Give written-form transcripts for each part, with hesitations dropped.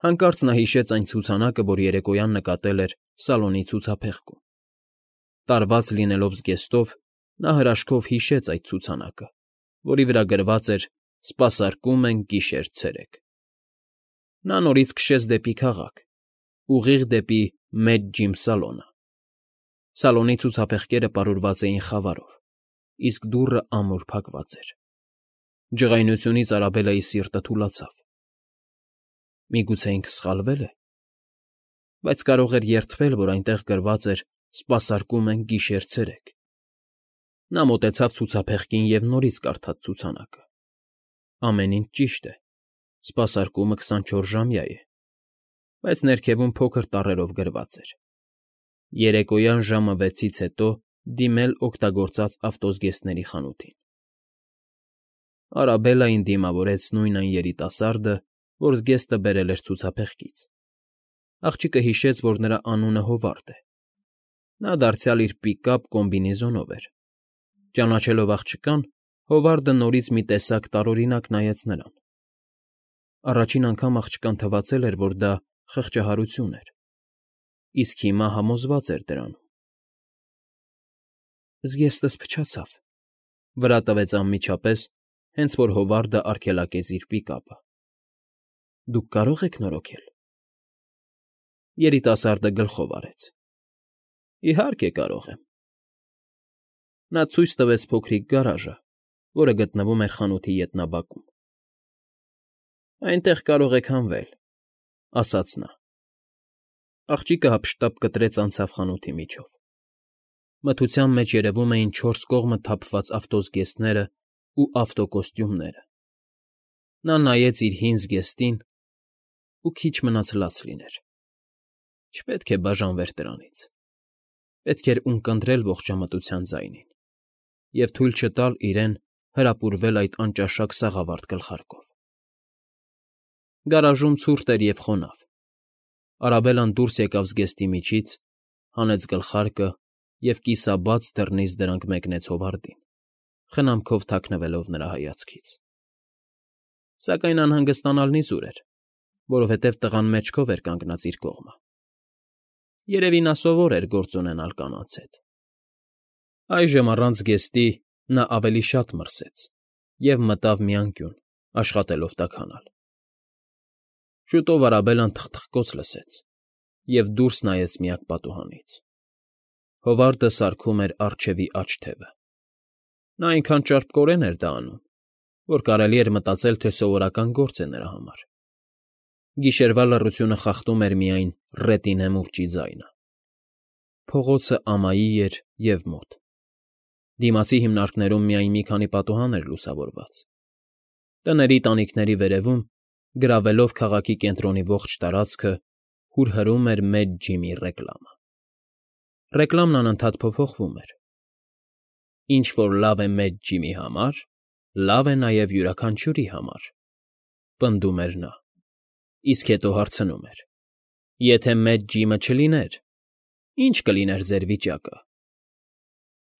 Հանկարծ նա հիշեց այն ցուցանակը, որ երեկոյան նկատել էր Սալոնի ցուցափեղկում։ Տարված լինելով զգեստով, նա հրաշքով հիշեց այդ ցուցանակը, որի վրա գրված էր «Սպասարկում ենք գիշեր֊ցերեկ»։ Նա նորից քշեց դեպի քաղաք, ուղիղ դեպի Մեծ Ջիմ Սալոնը։ Սալոնի ցուցափեղկերը պարուրված էին խավարով, իսկ դուռը ամուր փակված էր։ Ջղայնությունից Արաբելայի սիրտը թուլացավ։ Միգուցե ինքը սխալվե՞լ է։ Բայց կարող էր երդվել, որ այնտեղ գրված էր «Սպասարկում ենք գիշեր֊ցերեկ»։ Նա մոտեցավ ցուցափեղկին և նորից կարդաց ցուցանակը։ Ամեն ինչ ճիշտ է, սպասարկումը 24-ժամյա է, բայց ներքևում փոքր տառերով գրված էր. երեկոյան ժամը 6-ից հետո դիմել օգտագործած ավտոզգեստների խանութին։ Արաբելլային դիմավորեց նույն այն երիտասարդը, որ զգեստը բերել էր ցուցափեղկից։ Աղջիկը հիշեց, որ նրա անունը Հովարդ է։ Նա դարձյալ իր պիկապ կոմբինեզոնով էր։ Ճանաչելով աղջկան, Հովարդը նորից մի տեսակ տարօրինակ նայեց նրան։ Առաջին անգամ աղջկան թվացել էր, որ դա խղճահարություն էր, իսկ հիմա համոզված էր դրանում։ Զգեստս փչացավ,֊ վրա տվեց անմիջապես, հենց որ Հովարդը արգելակեց իր պիկապը։ Դուք կարո՞ղ եք նորոգել։ Երիտասարդը գլխով արեց։ Իհարկե կարող եմ։ Նա ցույց տվեց փոքրիկ գարաժը, որը գտնվում էր խանութի ետնաբակում։ Այնտեղ կարող եք հանվել,֊ ասաց նա։ Աղջիկը հափշտապ կտրեց անցավ խանութի միջով։ Մթության մեջ երևում էին 4 կողմը թափված ավտոզգեստներն ու ավտոկոստյումները։ Նա նայեց իր հին զգեստին ու քիչ մնաց լաց լիներ։ Չպետք է բաժանվեր դրանից։ Պետք էր ունկնդրել ողջամտության ձայնին և թույլ չտալ իրեն հրապուրվել այդ անճաշակ սաղավարտ գլխարկով։ Գարաժում ցուրտ էր և խոնավ։ Արաբելլան դուրս եկավ զգեստի միջից, հանեց գլխարկը և կիսաբաց դռնից դրանք մեկնեց Հովարդին, խնամքով թաքնվելով նրա հայացքից։ Սակայն անհանգստանալն իզուր էր, որովհետև տղան մեջքով էր կանգնած իր կողմը։ Երևի նա սովոր էր գործ ունենալ կանանց հետ։ Այժմ առանց զգեստի նա ավելի շատ մրսեց և մտավ մի անկյուն, աշխատելով տաքանալ։ Շուտով Արաբելլան թխթխկոց լսեց և դուրս նայեց միակ պատուհանից։ Հովարդը սարքում էր առջևի աջ թևը։ Նա այնքան ճարպկորեն էր դա անում, որ կարելի էր մտածել, թե սովորական գործ է նրա համար։ Գիշերվա լռությունը խախտում էր միայն ռետինե մուրճի ձայնը։ Փողոցը ամայի էր և մոտ։ Դիմացի հիմնարկներում միայն մի քանի պատուհան էր լուսավորված։ Տների տանիքների վերևում, գրավելով քաղաքի կենտրոնի ողջ տարածքը, հուրհրում էր Մեծ Ջիմի ռեկլամը։ Ռեկլամն անընդհատ փոփոխվում էր։ Ինչ որ լավ է Մեծ Ջիմի համար, լավ է նաև յուրաքանչյուրի համար,֊ պնդում էր նա, իսկ հետո հարցնում էր. Եթե Մեծ Ջիմը չլիներ, ի՞նչ կլիներ ձեր վիճակը։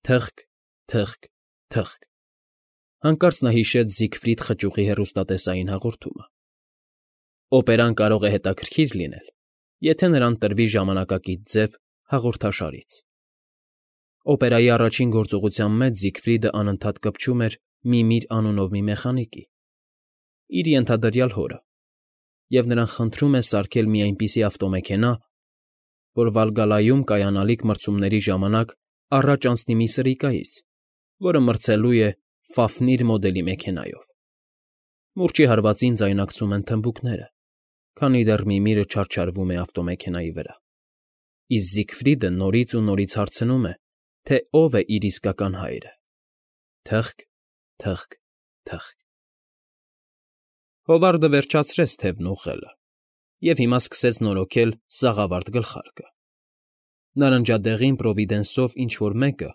Թխկ, թխկ, թխկ… Հանկարծ նա հիշեց Զիգֆրիդ խճուղի հեռուստատեսային հաղորդումը։ Օպերան կարող է հետաքրքիր լինել, եթե նրան տրվի ժամանակակից ձև հաղորդաշարից։ Օպերայի առաջին գործողության մեջ Զիգֆրիդը անընդհատ կպչում էր Միմիր անունով մի մեխանիկի, իր ենթադրյալ հորը, և նրան խնդրում է սարքել մի այնպիսի ավտոմեքենա, որ Վալգալայում կայանալիք մրցումների ժամանակ առաջ անցնի մի սրիկայից, որը մրցելու է Ֆաֆնիր մոդելի մեքենայով։ Մուրճի հարվածին ձայնակցում են թմբուկները, քանի դեռ Միմիրը չարչարվում է ավտոմեքենայի վրա, իսկ Զիգֆրիդը նորից ու նորից հարցնում է, թե ով է իր իսկական հայրը։ Թխկ, թխկ, թխկ… Հովարդը վերջացրեց թևն ուղղելը և հիմա սկսեց նորոգել սաղավարտ գլխարկը։ Նարնջադեղին Պրովիդենսով ինչ֊որ մեկը,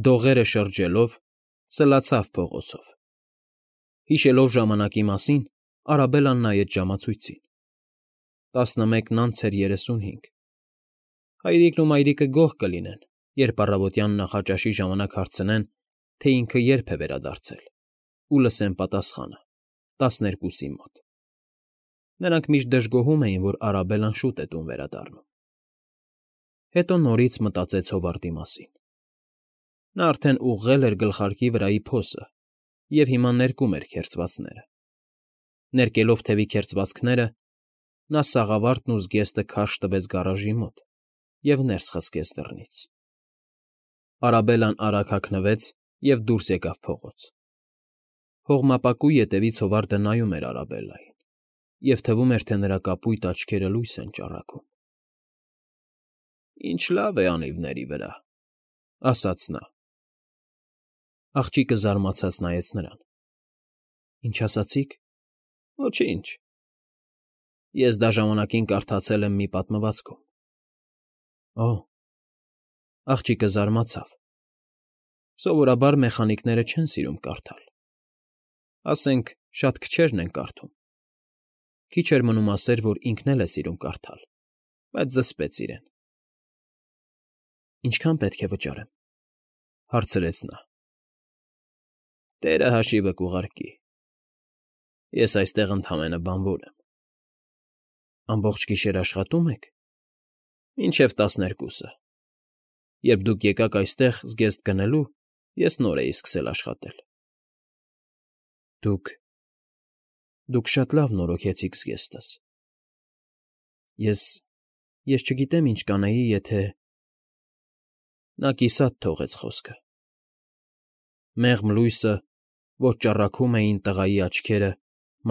դողերը շրջելով, սլացավ փողոցով։ Հիշելով ժամանակի մասին, Արաբելլան նայեց ժամացույցին. 11:35 Հայրիկն ու մայրիկը գոհ կլինեն, երբ առավոտյան նախաճաշի ժամանակ հարցնեն, թե ինքը երբ է վերադարձել, ու լսեն պատասխանը՝ 12-ի մոտ։ Նրանք միշտ դժգոհում էին, որ Արաբելլան շուտ է տուն վերադառնում։ Հետո նորից մտածեց Հովարդի մասին։ Նա արդեն ուղղել էր գլխարկի վրայի փոսը և հիմա ներկում էր քերծվածները։ Ներկելով թևի քերծվածքները, նա սաղավարտն ու զգեստը քարշ տվեց գարաժի մոտ և ներս խցկեց դռնից։ Արաբելլան արագ հագնվեց և դուրս եկավ փողոց։ Հողմապակու ետևից Հովարդը նայում էր Արաբելլային, և թվում էր, թե նրա կապույտ աչքերը լույս են ճառագում։ «Ինչ լավ է անիվների վրա», ֊ ասաց նա։ Աղջիկը զարմացած նայեց նրան։ «Ինչ ասացիք»։ «Ոչինչ»։ Ես դա ժամանակին կարդացել եմ մի պատմվածքում։ Օ՜։ Աղջիկը զարմացավ։ Սովորաբար մեխանիկները չեն սիրում կարդալ։ Ասենք, շատ քչերն են կարդում։ Քիչ էր մնում ասեր, որ ինքն էլ է սիրում կարդալ, բայց զսպեց իրեն։ «Ինչքան պետք է վճարեմ», ֊ հարցրեց նա։ «Տերը հաշիվը կուղարկի։ Ես այստեղ ընդամենը բանվոր եմ»։ «Ամբողջ գիշեր աշխատո՞ւմ եք»։ «Մինչև 12-ը։ Երբ դուք եկաք այստեղ զգեստ գնելու, ես նոր էի սկսել աշխատել»։ Դուք շատ լավ նորոգեցիք զգեստս։ Ես չգիտեմ ինչ կանեի, եթե… Նա կիսատ թողեց խոսքը։ Մեղմ լույսը, որ ճառագում էին տղայի աչքերը,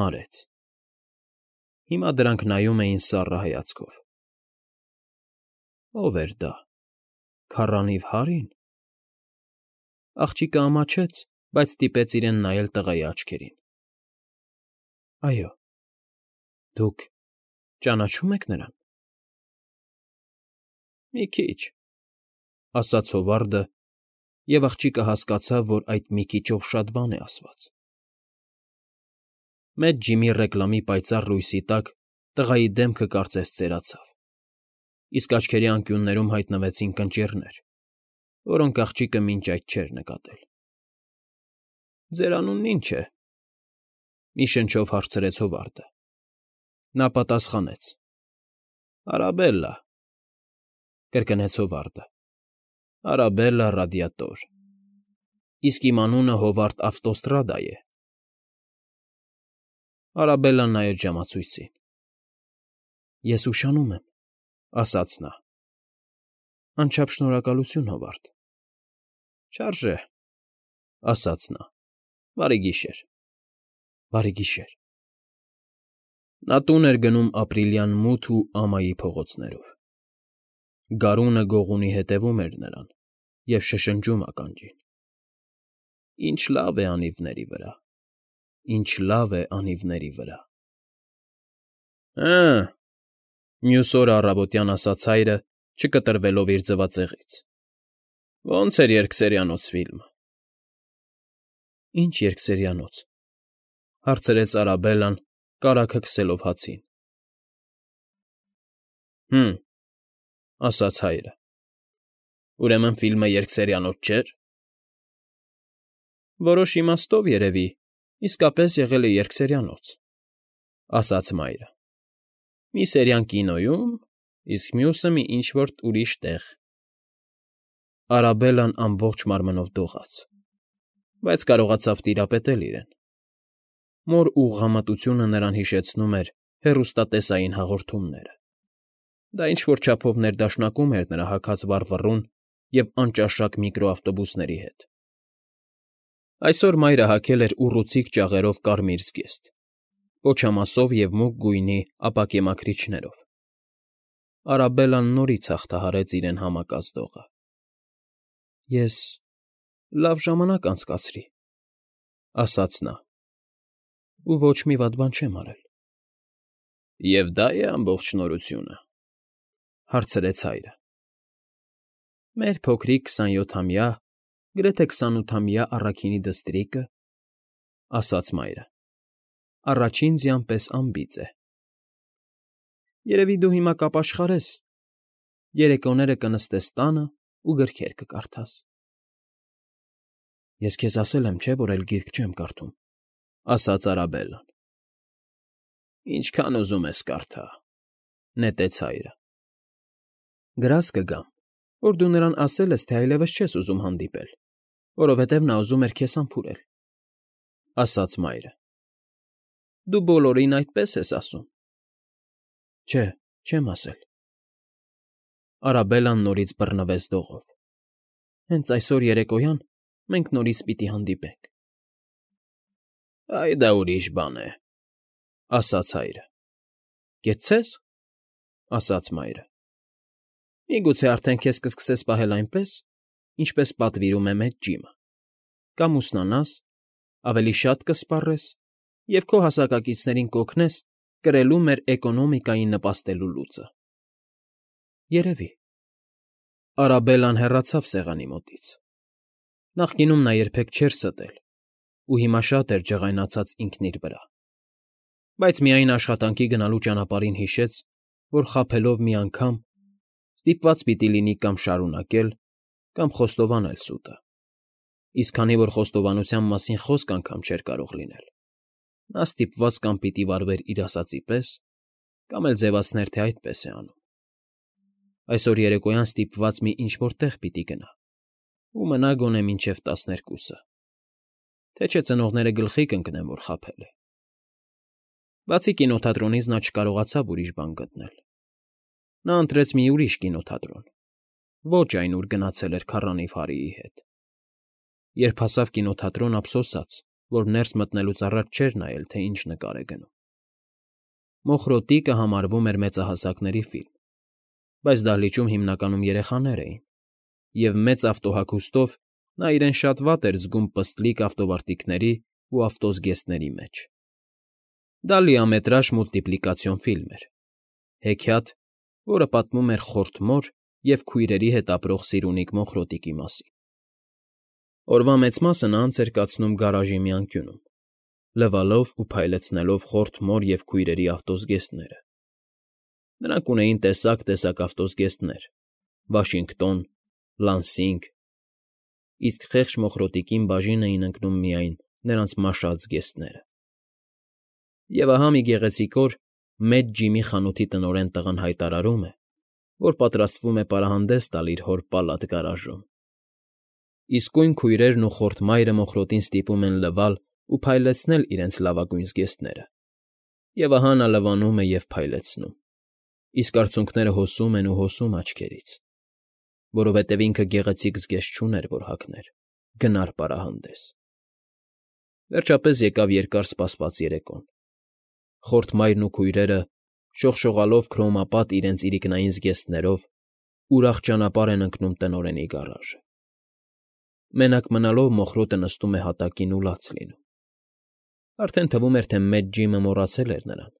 մարեց։ Հիմա դրանք նայում էին սառը հայացքով։ Ո՞վ էր դա… քառանիվ Հարի՞ն։ Աղջիկը ամաչեց, բայց ստիպեց իրեն նայել տղայի աչքերին։ Այո։ Դուք ճանաչո՞ւմ եք նրան։ Մի քիչ, ֊ ասաց Հովարդը, և աղջիկը հասկացավ, որ այդ մի քիչով շատ բան է ասված։ Մեծ ջիմի ռեկլամի պայծառ լույսի տակ տղայի դեմքը կարծես ծերացավ, իսկ աչքերի անկյուններում հայտնվեցին կնճիռներ, որոնք աղջիկը մինչ այդ չէր նկատել։ «Ձեր անունն ի՞նչ է», ֊ մի շնչով հարցրեց Հովարդը։ Նա պատասխանեց. «Արաբելլա», ֊ կրկնեց Հովարդը։ «Արաբելլա Ռադիատոր։ Իսկ իմ անունը Հովարդ Ավտոստրադա է»։ Արաբելլան նայեց ժամացույցին։ «Ես ուշանում եմ», ֊ ասաց նա։ «Անչափ շնորհակալություն, Հովարդ»։ «Չարժե», ֊ ասաց նա։ «Բարի գիշեր»։ «Բարի գիշեր»։ Նա տուն էր գնում ապրիլյան մութ ու ամայի փողոցներով։ Գարունը գողունի հետևում էր նրան և շշնջում ականջին. «Ինչ լավ է անիվների վրա, ինչ լավ է անիվների վրա»։ «Հը՜,» մյուս օրը առավոտյան ասաց հայրը, չկտրվելով իր ձվածեղից։ «Ո՞նց էր երկսերյանոց ֆիլմը»։ «Ինչ երկսերյանոց», ֊ հարցրեց Արաբելլան, կարագը քսելով հացին։ «Հը՜մ», ֊ ասաց հայրը։ «Ուրեմն ֆիլմը երկսերյանոց չէր»։ «Որոշ իմաստով, երևի, իսկապես եղել է երկսերյանոց», ֊ ասաց մայրը։ «Մի սերիան կինոյում, իսկ մյուսը մի ինչ֊որ ուրիշ տեղ»։ Արաբելլան ամբողջ մարմնով դողաց, բայց կարողացավ տիրապետել իրեն։ Մոր ուղղամտությունը նրան հիշեցնում էր հեռուստատեսային հաղորդումները։ Դա ինչ֊որ չափով ներդաշնակում էր նրա հագած վառվռուն և անճաշակ միկրոավտոբուսների հետ։ Այսօր մայրը հագել էր ուռուցիկ ճաղերով կարմիր զգեստ, պոչամասով և մուգ գույնի ապակեմաքրիչներով։ Արաբելլան նորից հաղթահարեց իրեն համակած դողը։ «Ես լավ ժամանակ անցկացրի», ֊ ասաց նա, «ու ոչ մի վատ բան չեմ արել»։ «Եվ դա է ամբողջ շնորհությունը», ֊ հարցրեց հայրը։ «Մեր փոքրիկ 27-ամյա, գրեթե 28-ամյա առաքինի դստրիկը», ֊ ասաց մայրը, «առաջին ձյան պես անբիծ է։ Երևի դու հիմա կապաշխարես, երեկոները կնստես տանը ու գրքեր կկարդաս»։ «Ես քեզ ասել եմ, չէ՞, որ էլ գիրք չեմ կարդում», ֊ ասաց Արաբելլան։ Ինչքան ուզում ես կարդա,֊ նետեց հայրը։ Գրազ կգամ, որ դու նրան ասել ես, թե այլևս չես ուզում հանդիպել, որովհետև նա ուզում էր քեզ համբուրել,֊ ասաց մայրը։ Դու բոլորին այդպես ես ասում։ Չէ, չեմ ասել։ Արաբելլան նորից բռնվեց դողով։ Հենց այսօր երեկոյան մենք նորից պիտի հանդիպենք։ Այ դա ուրիշ բան է,֊ ասաց հայրը։ Կեցցե՞ս,֊ ասաց մայրը։ Միգուցե արդեն քեզ կսկսես պահել այնպես, ինչպես պատվիրում է մեծ ջիմը, կամ ուսնանաս, ավելի շատ կսպառես և քո հասակակիցներին կօգնես կրելու մեր էկոնոմիկային նպաստելու լուծը։ Երևի։ Արաբելլան հեռացավ սեղանի մոտից։ Նախկինում նա երբեք չէր ստել ու հիմա շատ էր ջղայնացած ինքն իր վրա։ Բայց միայն աշխատանքի գնալու ճանապարհին հիշեց, որ խաբելով մի անգամ ստիպված պիտի լինի կամ շարունակել, կամ խոստովանել սուտը։ Իսկ քանի որ խոստովանության մասին խոսք անգամ չէր կարող լինել, նա ստիպված կամ պիտի վարվեր իր ասածի պես, կամ էլ ձևացներ, թե այդպես է անում։ Այսօր երեկոյան ստիպված մի ինչ֊որ տեղ պիտի գնա ու մնա գոնե մինչև 12-ը, թե չէ ծնողները գլխի կընկնեն, որ խաբել է։ Բացի կինոթատրոնից նա չկարողացավ ուրիշ բան գտնել։ Նա ընտրեց մի ուրիշ կինոթատրոն, ոչ այն, ուր գնացել էր քառանիվ Հարիի հետ։ Երբ հասավ կինոթատրոն, ափսոսաց, որ ներս մտնելուց առաջ չէր նայել, թե ինչ նկար է գնում։ Մոխրոտիկը համարվում էր մեծահասակների ֆիլմ, բայց դահլիճում հիմնականում երեխաներ էին, և մեծ ավտոհագուստով նա իրեն շատ վատ էր զգում պստլիկ ավտովարտիքների ու ավտոզգեստների մեջ։ Դա լիամետրաժ մուլտիպլիկացիոն ֆիլմ էր, հեքիաթ, որը պատմում էր խորթ մոր և քույրերի հետ ապրող սիրունիկ մոխրոտիկի մասին։ Օրվա մեծ մասը նա անց էր կացնում գարաժի մի անկյունում, լվալով ու փայլեցնելով խորթ մոր և քույրերի ավտոզգեստները։ Նրանք ունեին տեսակ ավտոզգեստներ՝ Վաշինգտոն, Լանսինգ, իսկ խեղճ մոխրոտիկին բաժին էին ընկնում միայն նրանց մաշած զգեստները։ Եվ ահա մի գեղեցիկ օր մեծ ջիմի խանութի տնօրեն տղան հայտարարում է, որ պատրաստվում է պարահանդես տալ իր հոր պալատ գարաժում։ Իսկույն քույրերն ու խորթ մայրը մոխրոտին ստիպում են լվալ ու փայլեցնել իրենց լավագույն զգեստները։ Եվ ահա նա լվանում է և փայլեցնում, իսկ արցունքները հոսում են ու հոսում աչքերից, որովհետև ինքը գեղեցիկ զգեստ չուներ, որ հագներ, գնար պարահանդես։ Վերջապես եկավ երկար սպասված երեկոն։ Խորթ մայրն ու քույրերը, շողշողալով քրոմապատ իրենց իրիկնային զգեստներով, ուրախ ճանապարհ են ընկնում տնօրենի գարաժը։ Մենակ մնալով մոխրոտը նստում է հատակին ու լաց լինում։ Արդեն թվում էր, թե մեծ ջիմը մոռացել էր նրան,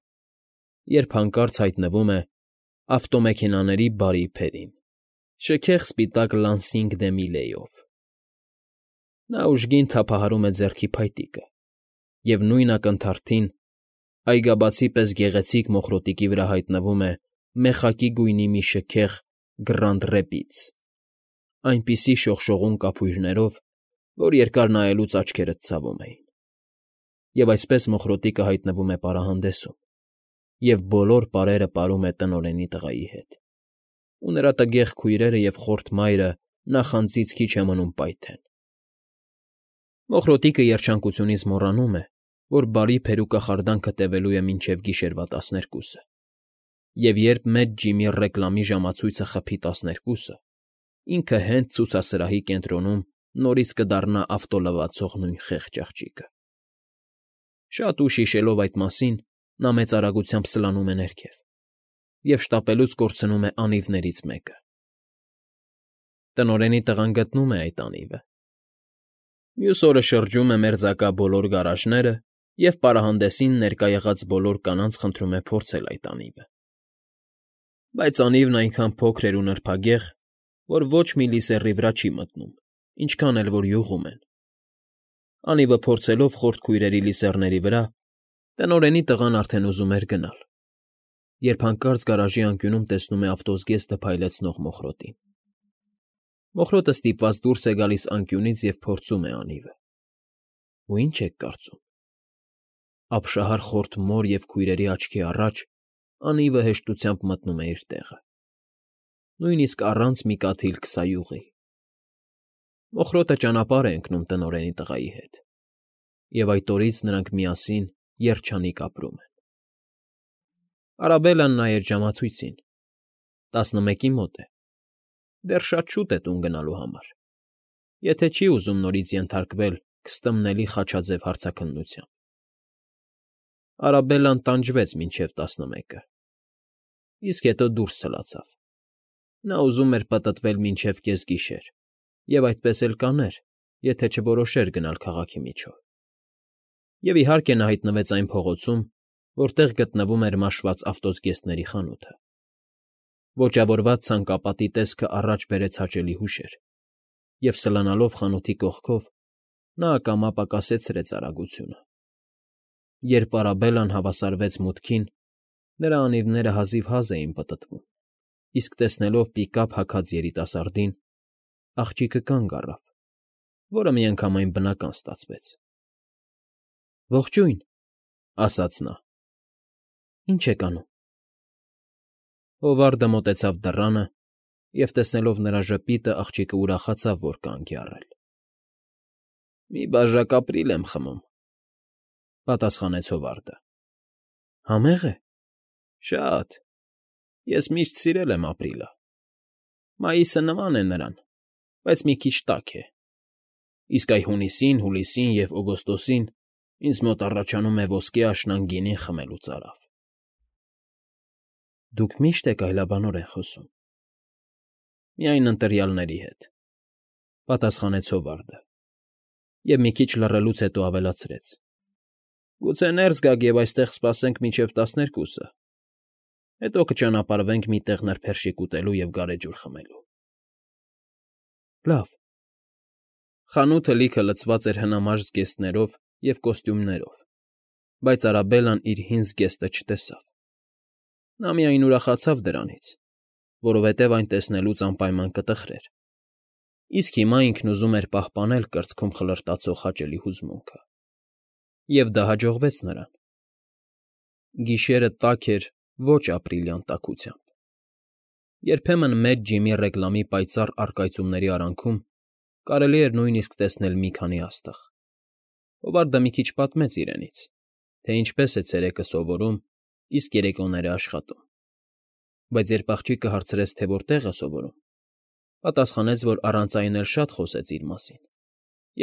երբ հանկարծ հայտնվում է ավտոմեքենաների բարի փերին, շքեղ սպիտակ Լանսինգ դե Միլեյով։ Նա ուժգին թափահարում է ձեռքի փայտիկը, և նույն ակնթարթին այգաբացի պես գեղեցիկ մոխրոտիկի վրա հայտնվում է մեխակի գույնի մի շքեղ Գրանդ Ռեպիդս, այնպիսի շողշողուն կափույրներով, որ երկար նայելուց աչքերդ ցավում էին։ Եվ այսպես մոխրոտիկը հայտնվում է պարահանդեսում, և բոլոր պարերը պարում է տնօրենի տղայի հետ, ու նրա տգեղ քույրերը և խորթ մայրը նախանձից քիչ է մնում պայթեն։ Մոխրոտիկը երջանկությունից մոռանում է, որ բարի փերու կախարդանքը տևելու է մինչև գիշերվա 12-ը, և երբ մեծ ջիմի ռեկլամի ժամացույցը խփի 12-ը, ինքը հենց ցուցասրահի կենտրոնում նորից կդառնա ավտոլվացող նույն խեղճ աղջիկը։ Շատ ուշ հիշելով այդ մասին, նա մեծ արագությամբ սլանում է ներքև և շտապելուց կորցնում է անիվներից մեկը։ Տնօրենի տղան գտնում է այդ անիվը։ Մյուս օրը շրջում է մերձակա բոլոր գարաժները և պարահանդեսին ներկա եղած բոլոր կանանց խնդրում է փորձել այդ անիվը։ Բայց անիվն այնքան փոքր էր ու նրբագեղ, որ ոչ մի լիսեռի վրա չի մտնում, ինչքան էլ որ յուղում են։ Անիվը փորձելով խորթ քույրերի լիսեռների վրա, տնօրենի տղան արդեն ուզում էր գնալ, երբ հանկարծ գարաժի անկյունում տեսնում է ավտոզգեստը փայլեցնող մոխրոտին։ Մոխրոտը ստիպված դուրս է գալիս անկյունից և փորձում է անիվը։ Ու ի՞նչ եք կարծում։ ապշահար խորթ մոր և քույրերի աչքի առաջ անիվը հեշտությամբ մտնում է իր տեղը, նույնիսկ առանց մի կաթիլ քսայուղի։ Մոխրոտը ճանապարհ է ընկնում տնօրենի տղայի հետ, և այդ օրից նրանք միասին երջանիկ ապրում են։ Արաբելլան նայեց ժամացույցին. 11-ի մոտ է, դեռ շատ շուտ է տուն գնալու համար, եթե չի ուզում նորից ենթարկվել քստմնելի խաչաձև հարցաքննության։ Արաբելլան տանջվեց մինչև 11-ը, իսկ հետո դուրս ցլացավ։ Նա ուզում էր պտտվել մինչև կեսգիշեր և այդպես էլ կաներ, եթե չորոշեր գնալ քաղաքի միջով։ Եվ իհարկե նա հայտնվեց այն փողոցում, որտեղ գտնվում էր մաշված ավտոզգեստների խանութը։ Ոճավորված ցանկապատի տեսքը առաջ բերեց հաճելի հուշեր, և սլանալով խանութի կողքով՝ նա ակամա պակասեցրեց արագությունը։ Երբ Արաբելլան հավասարվեց մուտքին, նրա անիվները հազիվհազ էին պտտվում, իսկ տեսնելով պիկափ հագած երիտասարդին, աղջիկը կանգ առավ, որը միանգամայն բնական ստացվեց։ ֊ Ողջույն, ֊ ասաց նա։ ֊ Ի՞նչ եք անում։ Հովարդը մոտեցավ դռանը և, տեսնելով նրա ժպիտը, աղջիկը ուրախացավ, որ կանգ է առել։ ֊ Մի բաժակ ապրիլ եմ խմում, ֊ պատասխանեց Հովարդը։ ֊ Համե՞ղ է։ ֊ Շատ։ Ես միշտ սիրել եմ ապրիլը։ Մայիսը նման է նրան, բայց մի քիչ տաք է, իսկ այ հունիսին, հուլիսին և օգոստոսին ինձ մոտ առաջանում է ոսկե աշնան գինին խմելու ծարավ։ ֊ Դուք միշտ եք այլաբանորեն խոսում։ ֊ Միայն ընտրյալների հետ, ֊ պատասխանեց Հովարդը և մի քիչ լռելուց հետո ավելացրեց. ֊ Գուցե ներս գաք և այստեղ սպասենք մինչև 12-ը, հետո կճանապարհվենք մի տեղ նրբերշիկ ուտելու և գարեջուր խմելու։ ֊ Լավ։ Խանութը լիքը լցված էր հնամաշ զգեստներով և կոստյումներով, բայց Արաբելլան իր հին զգեստը չտեսավ։ Նա միայն ուրախացավ դրանից, որովհետև այն տեսնելուց անպայման կտխրեր, իսկ հիմա ինքն ուզում էր պահպանել կրծքում խլրտացող հաճելի հուզմունքը։ Եվ դա հաջողվեց նրան։ Գիշերը տաք էր ոչ ապրիլյան տաքությամբ։ Երբեմն մեծ ջիմի ռեկլամի պայծառ առկայծումների արանքում կարելի էր նույնիսկ տեսնել մի քանի աստղ։ Հովարդը մի քիչ պատմեց իրենից, թե ինչպես է ցերեկը սովորում, իսկ երեկոները աշխատում։ Բայց երբ աղջիկը հարցրեց, թե որտեղ է սովորում, պատասխանեց, որ առանց այն էլ շատ խոսեց իր մասին,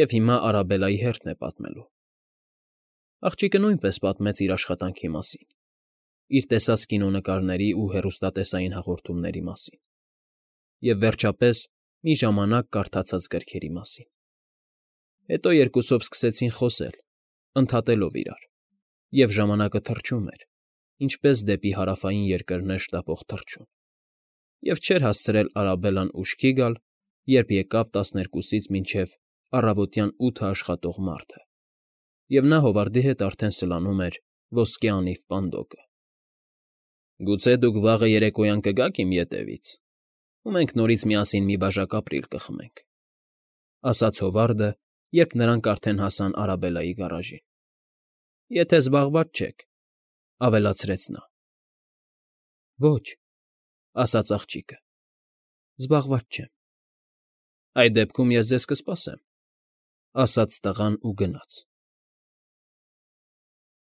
և հիմա Արաբելլայի հերթն է պատմելու։ Աղջիկը նույնպես պատմեց իր աշխատանքի մասին, իր տեսած կինոնկարների ու հեռուստատեսային հաղորդումների մասին, և, վերջապես, մի ժամանակ կարդացած գրքերի մասին։ Հետո երկուսով սկսեցին խոսել, ընդհատելով իրար, և ժամանակը թռչում էր, ինչպես դեպի հարավային երկրներ շտապող թռչուն, և չէր հասցրել Արաբելլան ուշքի գալ, երբ եկավ 12-ից մինչև առավոտյան 8-ը աշխատող մարդը, և նա Հովարդի հետ արդեն սլանում էր ոսկե անիվ պանդոկը։ ֊ Գուցե դուք վաղը երեկոյան կգաք իմ ետևից, ու մենք նորից միասին մի բաժակ ապրիլ կխմենք, ֊ ասաց Հովարդը, երբ նրանք արդեն հասան Արաբելլայի գարաժին։ ֊ Եթե զբաղված չեք, ֊ ավելացրեց նա։ ֊ Ոչ, ֊ ասաց աղջիկը, ֊ զբաղված չեմ։ ֊ Այդ դեպքում ես ձեզ կսպասեմ, ֊ ասաց տղան ու գնաց։